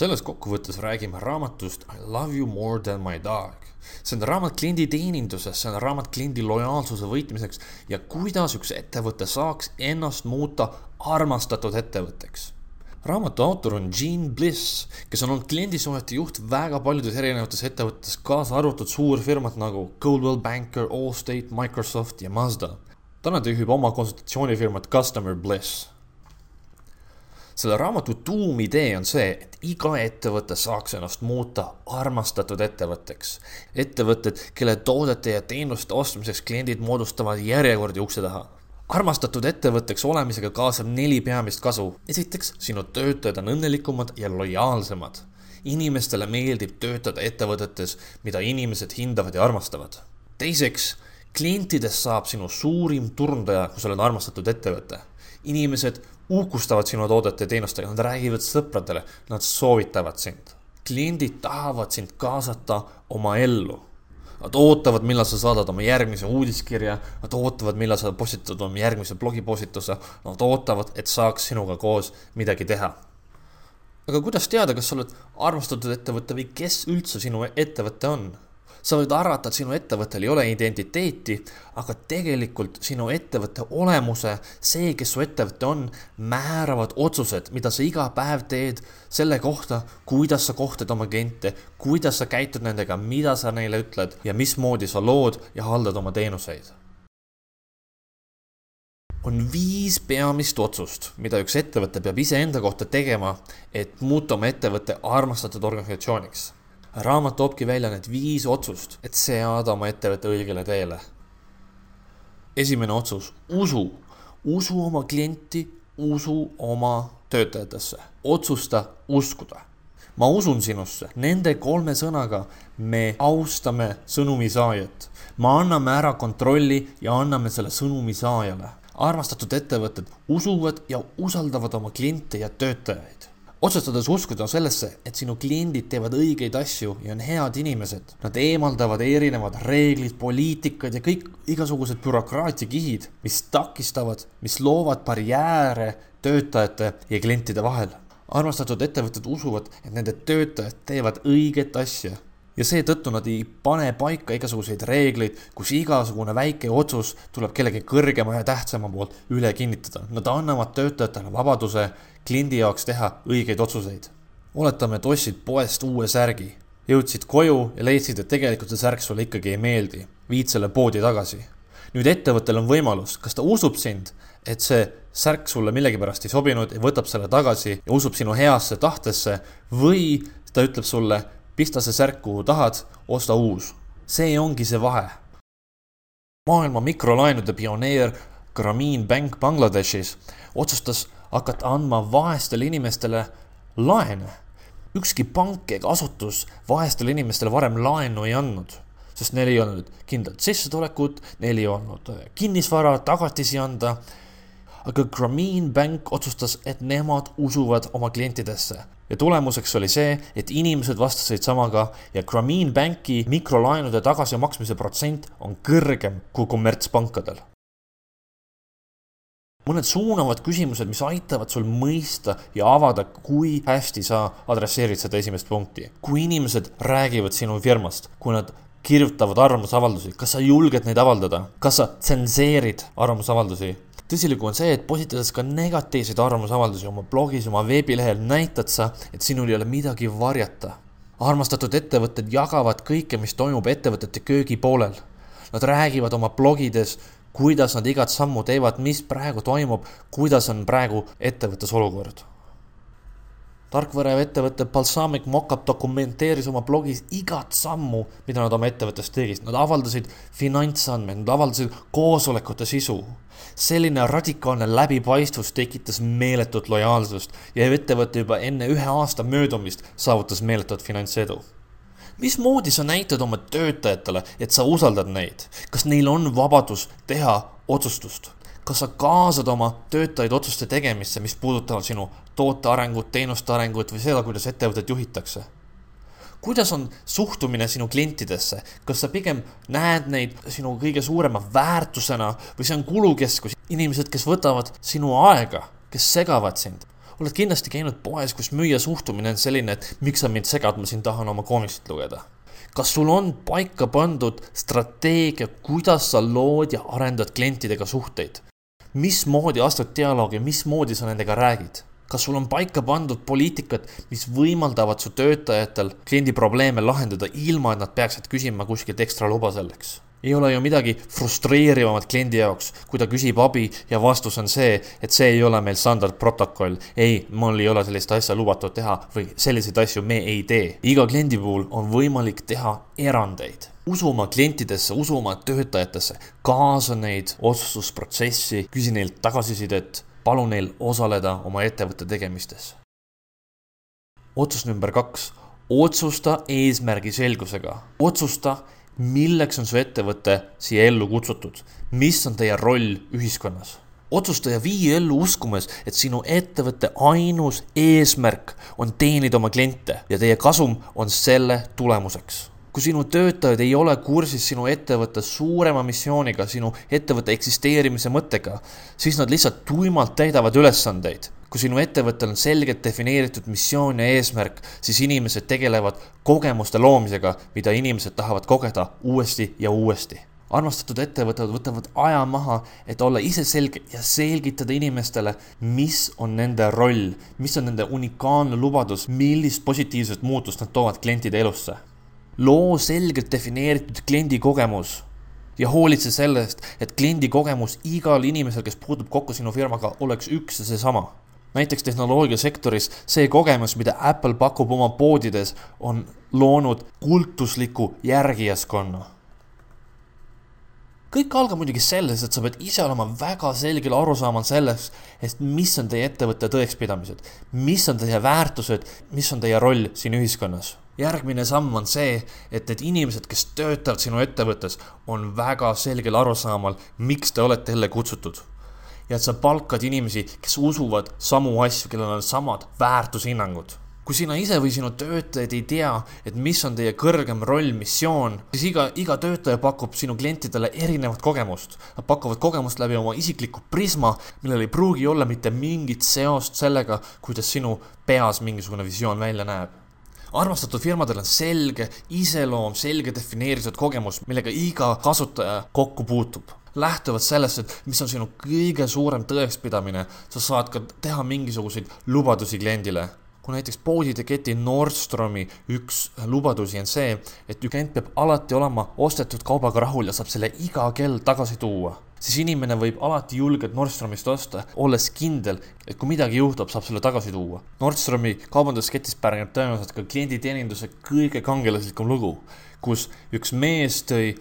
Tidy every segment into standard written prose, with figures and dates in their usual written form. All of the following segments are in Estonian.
Selles kokkuvõttes räägime raamatust I love you more than my dog. See on raamat kliendi teeninduses, see on raamat kliendi lojaalsuse võitmiseks ja kuidas üks ettevõte saaks ennast muuta armastatud ettevõtteks. Raamatu autor on Gene Bliss, kes on olnud kliendisuhete juht väga paljudes erinevates ettevõttes, kaasa arvatud suurfirmad nagu Coldwell Banker, Allstate, Microsoft ja Mazda. Täna juhib oma konsultatsioonifirmat Customer Bliss. Selle raamatu tuumidee on see, et iga ettevõte saaks ennast muuta armastatud ettevõtteks. Ettevõtted, kelle toodete ja teenuste ostmiseks kliendid moodustavad järjekordi ukse taha. Armastatud ettevõtteks olemisega kaasab 4 peamist kasu. Esiteks, sinu töötajad on õnnelikumad ja lojaalsemad. Inimestele meeldib töötada ettevõtetes, mida inimesed hindavad ja armastavad. Teiseks, klientidest saab sinu suurim turundaja, kui sa oled armastatud ettevõte. Inimesed uhkustavad sinu toodete ja teenustega, nad räägivad sõpradele, nad soovitavad sind. Kliendid tahavad sind kaasata oma ellu. Nad ootavad, millal sa saadad oma järgmise uudiskirja, nad ootavad, millal sa postitad oma järgmise blogipostituse, nad ootavad, et saaks sinuga koos midagi teha. Aga kuidas teada, kas sa oled armastatud ettevõte või kes üldse sinu ettevõte on? Sa võid arvata, et sinu ettevõttel ei ole identiteeti, aga tegelikult sinu ettevõtte olemuse, see, kes su ettevõte on, määravad otsused, mida sa iga päev teed selle kohta, kuidas sa kohtad oma kliente, kuidas sa käitud nendega, mida sa neile ütled ja mismoodi sa lood ja haldad oma teenuseid. On 5 peamist otsust, mida üks ettevõte peab iseenda kohta tegema, et muuta oma ettevõtte armastatud organisatsiooniks. Raamat toobki välja need 5 otsust, et seada oma ettevõtte õigele teele. Esimene otsus, usu. Usu oma klienti, usu oma töötajatesse. Otsusta uskuda. Ma usun sinusse. Nende 3 sõnaga me austame sõnumi saajat. Me anname ära kontrolli ja anname selle sõnumi saajale. Armastatud ettevõtted usuvad ja usaldavad oma kliente ja töötajaid. Otsustades uskuda sellesse, et sinu kliendid teevad õigeid asju ja on head inimesed. Nad eemaldavad erinevad reeglid, poliitikad ja kõik igasugused bürokraatiakihid, mis takistavad, mis loovad barjääre töötajate ja klientide vahel. Armastatud ettevõtted usuvad, et nende töötajad teevad õiget asja. Ja seetõttu nad ei pane paika igasuguseid reegleid, kus igasugune väike otsus tuleb kellegi kõrgema ja tähtsama poolt üle kinnitada. Nad annavad töötajatele vabaduse kliendi jaoks teha õigeid otsuseid. Oletame, et ostsid poest uue särgi. Jõudsid koju ja leidsid, et tegelikult see särk sulle ikkagi ei meeldi. Viid selle poodi tagasi. Nüüd ettevõttel on võimalus, kas ta usub sind, et see särk sulle millegipärast ei sobinud ja võtab selle tagasi ja usub sinu heasse tahtesse või ta ütleb sulle, pista see särk, kuhu tahad, osta uus. See ongi see vahe. Maailma mikrolaenude pioneer Grameen Bank Bangladeshis otsustas hakata andma vaestele inimestele laene. Ükski pank ega asutus vaestele inimestele varem laenu ei andnud, sest neil ei olnud kindlalt sissetulekut, neil ei olnud kinnisvara, tagatisi anda. Aga Grameen Bank otsustas, et nemad usuvad oma klientidesse. Ja tulemuseks oli see, et inimesed vastasid samaga ja Grameen Banki mikrolaenude tagasimaksmise protsent on kõrgem kui kommertspankadel. Mõned suunavad küsimused, mis aitavad sul mõista ja avada, kui hästi sa adresseerid seda esimest punkti. Kui inimesed räägivad sinu firmast, kui nad kirjutavad arvamusavaldusi, kas sa julged neid avaldada? Kas sa tsenseerid arvamusavaldusi? Tõsilugu on see, et positades ka negatiivseid arvamusavaldusi oma blogis, oma veebilehel näitad sa, et sinul ei ole midagi varjata. Armastatud ettevõtted jagavad kõike, mis toimub ettevõtete köögi poolel. Nad räägivad oma blogides, kuidas nad igat sammu teevad, mis praegu toimub, kuidas on praegu ettevõttes olukord. Tarkvara ettevõtte Balsamic Mockup dokumenteeris oma blogis igat sammu, mida nad oma ettevõttes tegid. Nad avaldasid finantsandmeid, nad avaldasid koosolekute sisu. Selline radikaalne läbipaistvus tekitas meeletut lojaalsust ja ettevõte juba enne 1 aasta möödumist saavutas meeletut finantsedu. Mismoodi sa näitad oma töötajatele, et sa usaldad neid? Kas neil on vabadus teha otsustust? Kas sa kaasad oma töötajaid otsuste tegemisse, mis puudutavad sinu toote arengut, teenuste arengut või seda, kuidas ettevõtet juhitakse? Kuidas on suhtumine sinu klientidesse? Kas sa pigem näed neid sinu kõige suurema väärtusena või see on kulukeskus? Inimesed, kes võtavad sinu aega, kes segavad sind. Oled kindlasti käinud poes, kus müüja suhtumine on selline, et miks sa mind segad, ma siin tahan oma koomiksit lugeda. Kas sul on paika pandud strateegia, kuidas sa lood ja arendad klientidega suhteid? Mismoodi astud dialoogi, mismoodi sa nendega räägid? Kas sul on paika pandud poliitikad, mis võimaldavad su töötajatel kliendi probleeme lahendada ilma, et nad peaksid küsima kuskilt ekstra luba selleks? Ei ole ju midagi frustreerivamat kliendi jaoks, kui ta küsib abi ja vastus on see, et see ei ole meil standardprotokoll. Ei, mul ei ole sellist asja lubatud teha või selliseid asju me ei tee. Iga kliendi puhul on võimalik teha erandeid. Usuma klientidesse, usuma töötajatesse, kaasa neid otsustusprotsessi, küsi neilt tagasisidet, palu neil osaleda oma ettevõtte tegemistes. Otsus number 2. Otsusta eesmärgi selgusega. Otsusta, milleks on su ettevõte siia ellu kutsutud? Mis on teie roll ühiskonnas? Otsusta ja vii ellu uskumes, et sinu ettevõtte ainus eesmärk on teenida oma kliente ja teie kasum on selle tulemuseks. Kui sinu töötajad ei ole kursis sinu ettevõtte suurema missiooniga, sinu ettevõtte eksisteerimise mõttega, siis nad lihtsalt tuimalt täidavad ülesandeid. Kui sinu ettevõttel on selgelt defineeritud missioon ja eesmärk, siis inimesed tegelevad kogemuste loomisega, mida inimesed tahavad kogeda uuesti ja uuesti. Armastatud ettevõtted võtavad aja maha, et olla ise selge ja selgitada inimestele, mis on nende roll, mis on nende unikaalne lubadus, millist positiivset muutust nad toovad klientide elusse. Loo selgelt defineeritud kliendi kogemus ja hoolitse sellest, et kliendi kogemus igal inimesel, kes puutub kokku sinu firmaga, oleks üks ja seesama. Näiteks tehnoloogiasektoris see kogemus, mida Apple pakub oma poodides, on loonud kultusliku järgijaskonna. Kõik algab muidugi selles, et sa pead ise olema väga selgel arusaamal sellest, et mis on teie ettevõtte tõekspidamised, mis on teie väärtused, mis on teie roll siin ühiskonnas. Järgmine samm on see, et need inimesed, kes töötavad sinu ettevõttes, on väga selgel arusaamal, miks te olete jälle kutsutud. Ja et sa palkad inimesi, kes usuvad samu asju, kellel on samad väärtushinnangud. Kui sina ise või sinu töötajad ei tea, et mis on teie kõrgem roll, missioon, siis iga töötaja pakub sinu klientidele erinevat kogemust. Nad pakuvad kogemust läbi oma isikliku prisma, millel ei pruugi olla mitte mingit seost sellega, kuidas sinu peas mingisugune visioon välja näeb. Armastatud firmadel on selge iseloom, selge defineeritud kogemus, millega iga kasutaja kokku puutub. Lähtuvad sellest, et mis on sinu kõige suurem tõekspidamine, sa saad ka teha mingisuguseid lubadusi kliendile. Kui näiteks poodide keti Nordstromi üks lubadusi on see, et klient peab alati olema ostetud kaubaga rahul ja saab selle iga kell tagasi tuua, siis inimene võib alati julgelt Nordstromist osta, olles kindel, et kui midagi juhtub, saab selle tagasi tuua. Nordstromi kaubandusketis pärineb tõenäoliselt ka klienditeeninduse kõige kangelaslikum lugu, kus üks mees tõi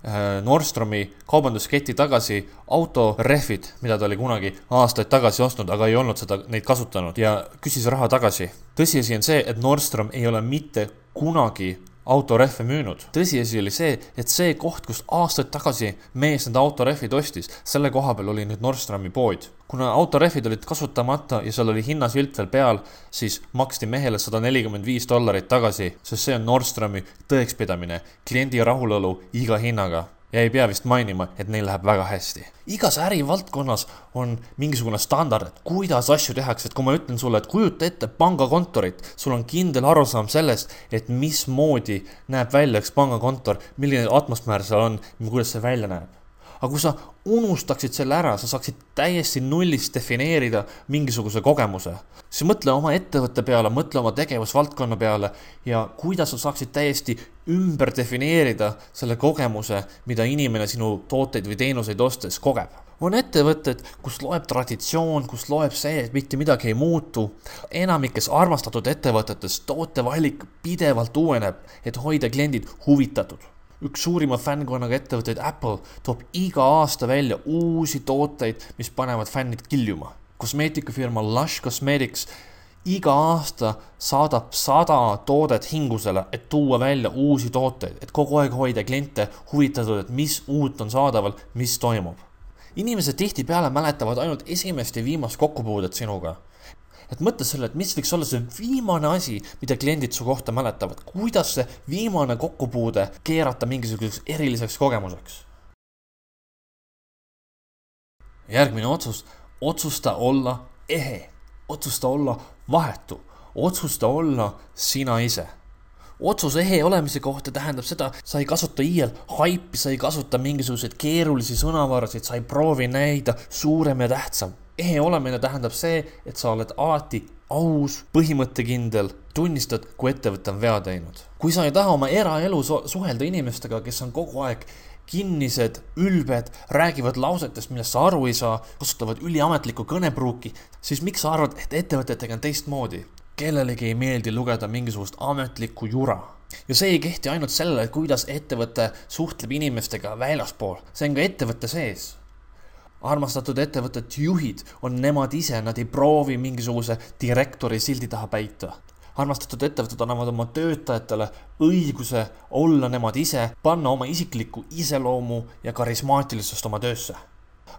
Nordstromi kaubandusketi tagasi autorehvid, mida ta oli kunagi aastaid tagasi ostnud, aga ei olnud neid kasutanud ja küsis raha tagasi. Tõsiasi on see, et Nordstrom ei ole mitte kunagi autorehve müünud. Tõsiasi oli see, et see koht, kus aastaid tagasi mees need autorehvid ostis, selle koha peal oli nüüd Nordstromi pood. Kuna autorehvid olid kasutamata ja seal oli hinnasilt veel peal, siis maksti mehele $145 tagasi, sest see on Nordstromi tõekspidamine, kliendi rahulolu iga hinnaga. Ja ei pea vist mainima, et neil läheb väga hästi. Igas ärivaldkonnas on mingisugune standard, et kuidas asju tehakse, et kui ma ütlen sulle, et kujuta ette pangakontorit, sul on kindel arusaam sellest, et mismoodi näeb välja üks pangakontor, milline atmosfäär seal on, kuidas see välja näeb. Aga kui sa unustaksid selle ära, sa saaksid täiesti nullist defineerida mingisuguse kogemuse. Siis mõtle oma ettevõtte peale, mõtle oma tegevusvaldkonna peale ja kuidas sa saaksid täiesti ümber defineerida selle kogemuse, mida inimene sinu tooteid või teenuseid ostes kogeb. On ettevõtted, kus loeb traditsioon, kus loeb see, et mitte midagi ei muutu. Enamikes armastatud ettevõtetes tootevalik pidevalt uueneb, et hoida kliendid huvitatud. Üks suurima fännkonnaga ettevõtteid Apple toob iga aasta välja uusi tooteid, mis panevad fännid kiljuma. Kosmeetikafirma Lush Cosmetics iga aasta saadab 100 toodet hingusele, et tuua välja uusi tooteid, et kogu aeg hoida kliente huvitatud, et mis uut on saadaval, mis toimub. Inimesed tihtipeale mäletavad ainult esimest ja viimast kokkupuudet sinuga. Et mõtle selle, et mis võiks olla see viimane asi, mida kliendid su kohta mäletavad. Kuidas see viimane kokkupuude keerata mingisuguseks eriliseks kogemuseks? Järgmine otsus, otsusta olla ehe. Otsusta olla vahetu, otsusta olla sina ise. Otsuse ehe olemise kohta tähendab seda, sa ei kasuta iial haipi, sa ei kasuta mingisuguseid keerulisi sõnavarasid, sa ei proovi näida suurem ja tähtsam. Ehe olemine tähendab see, et sa oled alati aus, põhimõttekindel, tunnistad, kui ettevõte on vea teinud. Kui sa ei taha oma eraelu suhelda inimestega, kes on kogu aeg kinnised, ülbed, räägivad lausetest, millest sa aru ei saa, kasutavad üliametlikku kõnepruuki, siis miks sa arvad, et ettevõtetega on teistmoodi? Kellelegi ei meeldi lugeda mingisugust ametlikku jura. Ja see ei kehti ainult sellele, kuidas ettevõte suhtleb inimestega väljaspool. See on ka ettevõtte sees. Armastatud ettevõtet juhid on nemad ise, nad ei proovi mingisuguse direktori sildi taha päita. Armastatud ettevõtted annavad oma töötajatele õiguse olla nemad ise, panna oma isiklikku iseloomu ja karismaatilisust oma töösse.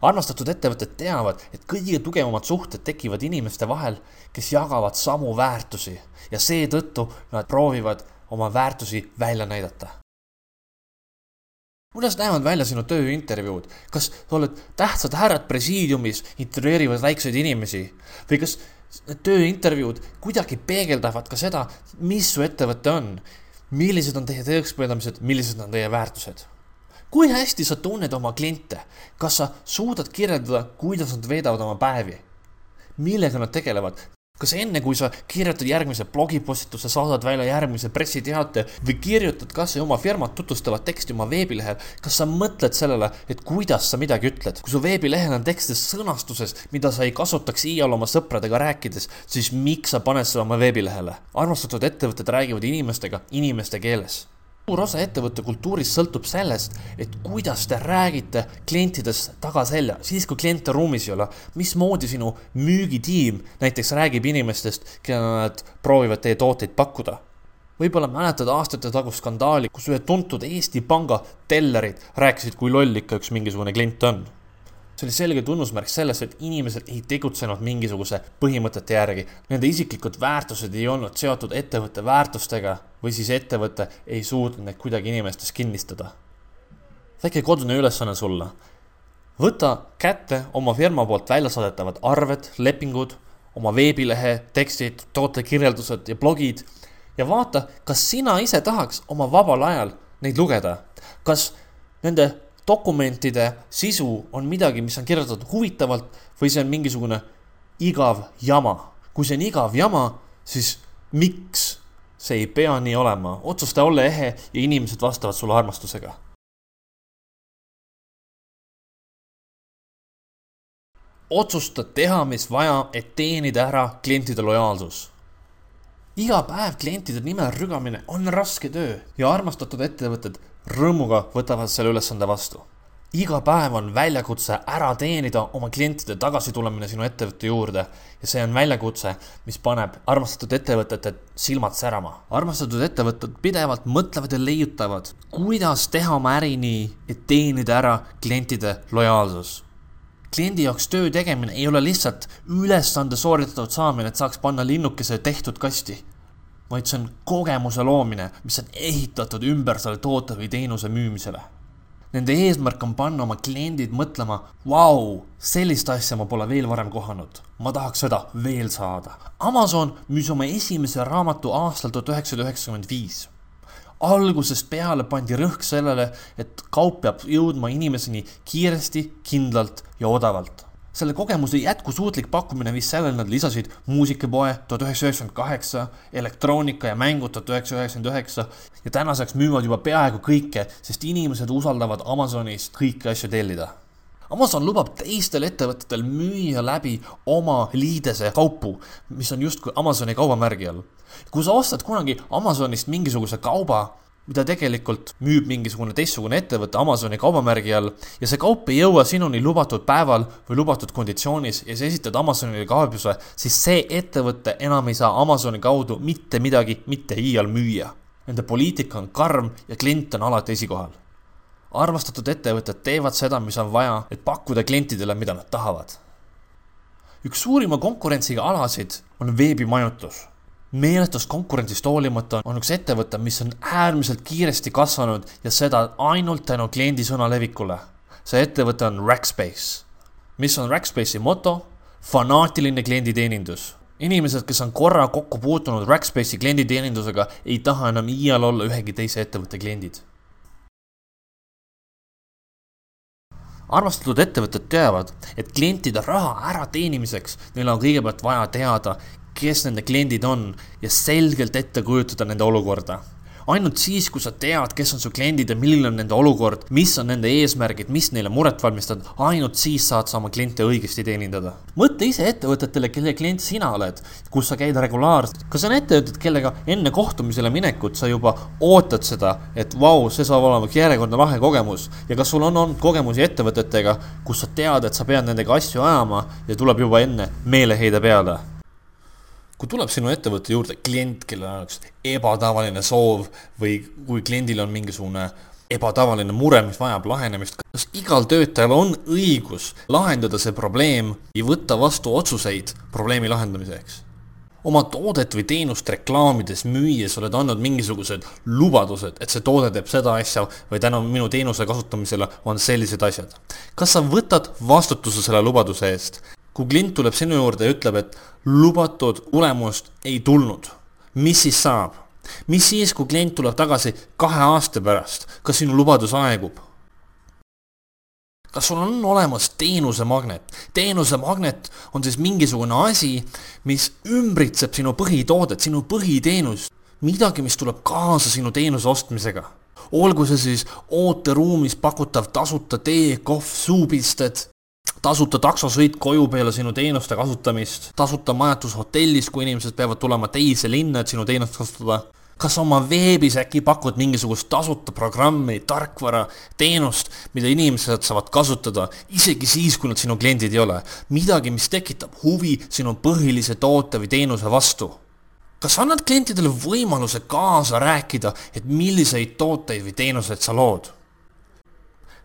Armastatud ettevõtted teavad, et kõige tugevamad suhted tekivad inimeste vahel, kes jagavad samu väärtusi ja seetõttu nad proovivad oma väärtusi välja näidata. Kuidas näevad välja sinu tööintervjuud? Kas sa oled tähtsad härrad presiidiumis, intervjueerivad väikseid inimesi? Või kas need tööintervjuud kuidagi peegeldavad ka seda, mis su ettevõte on? Millised on teie tõekspidamised, millised on teie väärtused? Kui hästi sa tunned oma kliente? Kas sa suudad kirjeldada, kuidas nad veedavad oma päevi? Millega nad tegelevad? Kas enne, kui sa kirjutad järgmise blogipostituse, saadad välja järgmise pressiteate või kirjutad kas oma firmat tutvustavat teksti oma veebilehel, kas sa mõtled sellele, et kuidas sa midagi ütled? Kui su veebilehel on tekstis sõnastuses, mida sa ei kasutaks iial oma sõpradega rääkides, siis miks sa paned seda oma veebilehele? Armastatud ettevõtted räägivad inimestega inimeste keeles. Suur osa ettevõtte kultuurist sõltub sellest, et kuidas te räägite klientidest tagaselja, siis kui kliente ruumis ei ole, mismoodi sinu müügitiim näiteks räägib inimestest, kelle nad proovivad teie tooteid pakkuda. Võib-olla mäletad aastate tagust skandaali, kus ühe tuntud Eesti panga tellerid rääkisid, kui loll ikka üks mingisugune klient on. See oli selge tunnusmärk sellest, et inimesed ei tegutsenud mingisuguse põhimõtete järgi. Nende isiklikud väärtused ei olnud seotud ettevõtte väärtustega või siis ettevõte ei suutnud neid kuidagi inimestes kinnistada. Väike kodune ülesanne sulle. Võta kätte oma firma poolt väljasaadetavad arved, lepingud, oma veebilehe, tekstid, tootekirjeldused ja blogid ja vaata, kas sina ise tahaks oma vabal ajal neid lugeda. Kas nende dokumentide sisu on midagi, mis on kirjutatud huvitavalt või see on mingisugune igav jama. Kui see on igav jama, siis miks see ei pea nii olema? Otsusta olla ehe ja inimesed vastavad sulle armastusega. Otsusta teha, mis vaja, et teenida ära klientide lojaalsus. Iga päev klientide nimel rügamine on raske töö ja armastatud ettevõtted rõõmuga võtavad selle ülesande vastu. Iga päev on väljakutse ära teenida oma klientide tagasitulemine sinu ettevõtte juurde ja see on väljakutse, mis paneb armastatud ettevõtete silmad särama. Armastatud ettevõtted pidevalt mõtlevad ja leiutavad, kuidas teha oma äri nii, et teenida ära klientide lojaalsus. Kliendi jaoks töö tegemine ei ole lihtsalt ülesande sooritatud saamine, et saaks panna linnukese tehtud kasti, vaid see on kogemuse loomine, mis on ehitatud ümber selle toote või teenuse müümisele. Nende eesmärk on panna oma kliendid mõtlema, vau, sellist asja ma pole veel varem kohanud, ma tahaks seda veel saada. Amazon müüs oma esimese raamatu aastal 1995. Algusest peale pandi rõhk sellele, et kaup peab jõudma inimeseni kiiresti, kindlalt ja odavalt. Selle kogemuse jätkusuutlik pakkumine viis sellele, nad lisasid muusikapoe 1998, elektroonika ja mängud 1999 ja tänaseks müüvad juba peaaegu kõike, sest inimesed usaldavad Amazonist kõiki asju tellida. Amazon lubab teistel ettevõtetel müüa läbi oma liidese kaupu, mis on justkui Amazoni kaubamärgi all. Kui sa ostad kunagi Amazonist mingisuguse kauba, mida tegelikult müüb mingisugune teistsugune ettevõte Amazoni kaubamärgi all ja see kaup ei jõua sinuni lubatud päeval või lubatud konditsioonis ja sa esitad Amazonile kaebuse, siis see ettevõte enam ei saa Amazoni kaudu mitte midagi mitte iial müüa. Nende poliitika on karm ja klient on alati esikohal. Armastatud ettevõtted teevad seda, mis on vaja, et pakkuda klientidele, mida nad tahavad. Üks suurima konkurentsiga alasid on veebimajutus. Meelestust konkurentsist hoolimata on üks ettevõte, mis on äärmiselt kiiresti kasvanud ja seda ainult tänu kliendi sõna levikule. See ettevõte on Rackspace. Mis on Rackspace'i moto? Fanaatiline klienditeenindus. Inimesed, kes on korra kokku puutunud Rackspace'i klienditeenindusega, ei taha enam iial olla ühegi teise ettevõtte kliendid. Armastatud ettevõtted teavad, et klientide raha ära teenimiseks neil on kõigepealt vaja teada, kes nende kliendid on ja selgelt ette kujutada nende olukorda. Ainult siis, kui sa tead, kes on su kliendid ja milline on nende olukord, mis on nende eesmärgid, mis neile muret valmistavad, ainult siis saad sa oma kliente õigesti teenindada. Mõtle ise ettevõtetele, kelle klient sina oled, kus sa käid regulaarselt. Kas on ettevõtted, kellega enne kohtumisele minekut sa juba ootad seda, et vau, see saab olema järjekordne lahe kogemus. Ja kas sul on olnud kogemusi ettevõtetega, kus sa tead, et sa pead nendega asju ajama ja tuleb juba enne meeleheide peale? Kui tuleb sinu ettevõtte juurde klient, kellel on üks ebatavaline soov või kui kliendil on mingisugune ebatavaline mure, mis vajab lahenemist, kas igal töötajal on õigus lahendada see probleem ja võtta vastu otsuseid probleemi lahendamiseks? Oma toodet või teenust reklaamides müües oled andnud mingisugused lubadused, et see toode teeb seda asja või tänu minu teenuse kasutamisele on sellised asjad. Kas sa võtad vastutuse selle lubaduse eest? Kui klient tuleb sinu juurde ja ütleb, et lubatud tulemust ei tulnud, mis siis saab? Mis siis, kui klient tuleb tagasi 2 aasta pärast? Kas sinu lubadus aegub? Kas sul on olemas teenusemagnet? Teenusemagnet on siis mingisugune asi, mis ümbritseb sinu põhitoodet, sinu põhiteenus. Midagi, mis tuleb kaasa sinu teenuse ostmisega. Olgu see siis ooteruumis pakutav tasuta tee, kohv, suupisted, tasuta taksosõit koju peale sinu teenuste kasutamist, tasuta majatus hotellis, kui inimesed peavad tulema teise linna, et sinu teenust kasutada. Kas oma veebis äkki pakud mingisugust tasuta programmi, tarkvara, teenust, mida inimesed saavad kasutada, isegi siis, kui nad sinu kliendid ei ole. Midagi, mis tekitab huvi sinu põhilise toote või teenuse vastu. Kas annad klientidele võimaluse kaasa rääkida, et milliseid tooteid või teenuseid sa lood?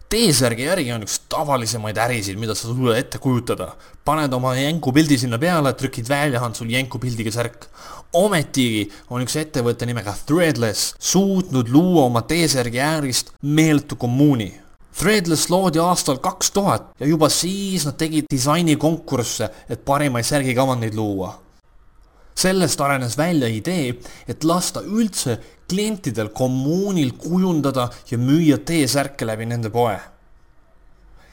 T-särgi äri on üks tavalisemaid ärisid, mida sa sulle ette kujutada. Paned oma jänkupildi sinna peale, trükid välja, on sul jänkupildiga särk. Ometigi on üks ettevõtte nimega Threadless suutnud luua oma T-särgi äärist meeletu kommuuni. Threadless loodi aastal 2000 ja juba siis nad tegid disainikonkursse, et parimaid särgikavandeid luua. Sellest arenes välja idee, et lasta üldse klientidel kommuunil kujundada ja müüa T-särke läbi nende poe.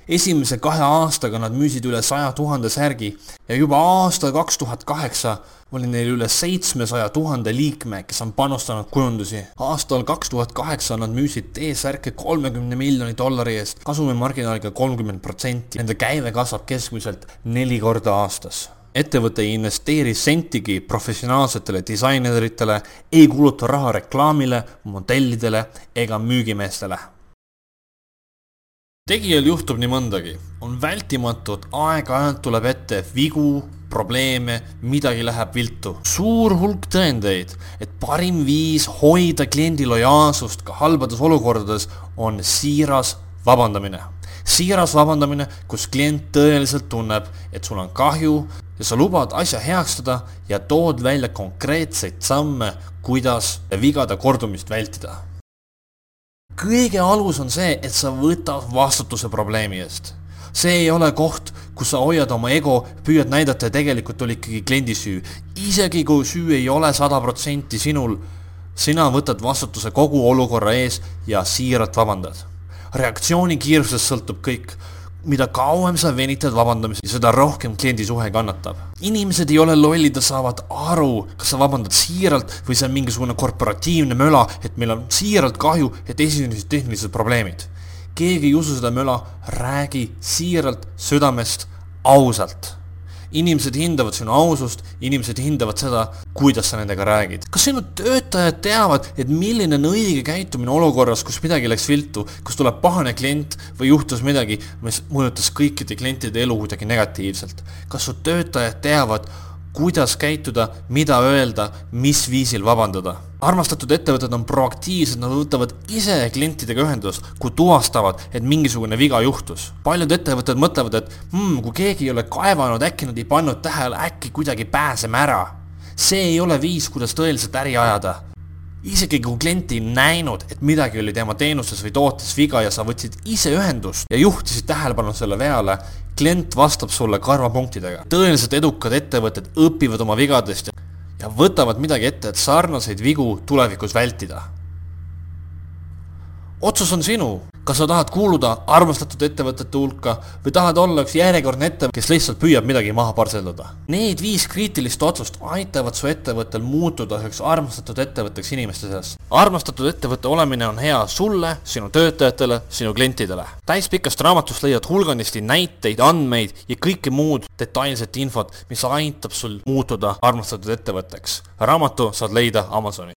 Esimese 2 aastaga nad müüsid üle 100 000 särgi ja juba aastal 2008 oli neil üle 700 000 liikme, kes on panustanud kujundusi. Aastal 2008 nad müüsid T-särke $30 miljoni eest, kasumimarginaaliga 30%. Nende käive kasvab keskmiselt 4 korda aastas. Ettevõte ei investeeri sentigi professionaalsetele disaineritele, ei kuluta raha reklaamile, modellidele ega müügimeestele. Tegijal juhtub nii mõndagi. On vältimatu, et aeg-ajalt tuleb ette vigu, probleeme, midagi läheb viltu. Suur hulk tõendeid, et parim viis hoida kliendi lojaalsust ka halbades olukordades on siiras vabandamine. Siiras vabandamine, kus klient tõeliselt tunneb, et sul on kahju ja sa lubad asja heakstada ja tood välja konkreetseid samme, kuidas vigade kordumist vältida. Kõige alus on see, et sa võtad vastutuse probleemi eest. See ei ole koht, kus sa hoiad oma ego, püüad näidata ja tegelikult oli ikkagi kliendi süü. Isegi kui süü ei ole 100% sinul, sina võtad vastutuse kogu olukorra ees ja siiralt vabandad. Reaktsiooni kiirusest sõltub kõik. Mida kauem sa venitad vabandamist, seda rohkem kliendi suhe kannatab. Inimesed ei ole lollid, saavad aru, kas sa vabandad siiralt või see on mingisugune korporatiivne möla, et meil on siiralt kahju, et esinesid tehnilised probleemid. Keegi ei usu seda möla, räägi siiralt, südamest, ausalt. Inimesed hindavad sinu ausust, inimesed hindavad seda, kuidas sa nendega räägid. Kas sinu töötajad teavad, et milline on õige käitumine olukorras, kus midagi läks viltu, kus tuleb pahane klient või juhtus midagi, mis mõjutas kõikide klientide elu kuidagi negatiivselt? Kas su töötajad teavad, kuidas käituda, mida öelda, mis viisil vabandada? Armastatud ettevõtted on proaktiivsed, nad võtavad ise klientidega ühendust, kui tuvastavad, et mingisugune viga juhtus. Paljud ettevõtted mõtlevad, et kui keegi ei ole kaevanud, äkki nad ei pannud tähele, äkki kuidagi pääseme ära. See ei ole viis, kuidas tõeliselt äri ajada. isegi kui klient ei näinud, et midagi oli tema teenuses või tootes viga ja sa võtsid ise ühendust ja juhtisid tähelepanu selle veale, klient vastab sulle karvapunktidega. Tõeliselt edukad ettevõtted õpivad oma vigadest ja võtavad midagi ette, et sarnaseid vigu tulevikus vältida. Otsus on sinu. Kas sa tahad kuuluda armastatud ettevõtete hulka või tahad olla üks järjekordne ettevõte, kes lihtsalt püüab midagi maha parseldada? Need 5 kriitilist otsust aitavad su ettevõttel muutuda üheks armastatud ettevõtteks inimeste seas. Armastatud ettevõtte olemine on hea sulle, sinu töötajatele, sinu klientidele. Täispikast raamatust leiad hulganisti näiteid, andmeid ja kõike muud detailset infot, mis aitab sul muutuda armastatud ettevõtteks. Raamatu saad leida Amazoni.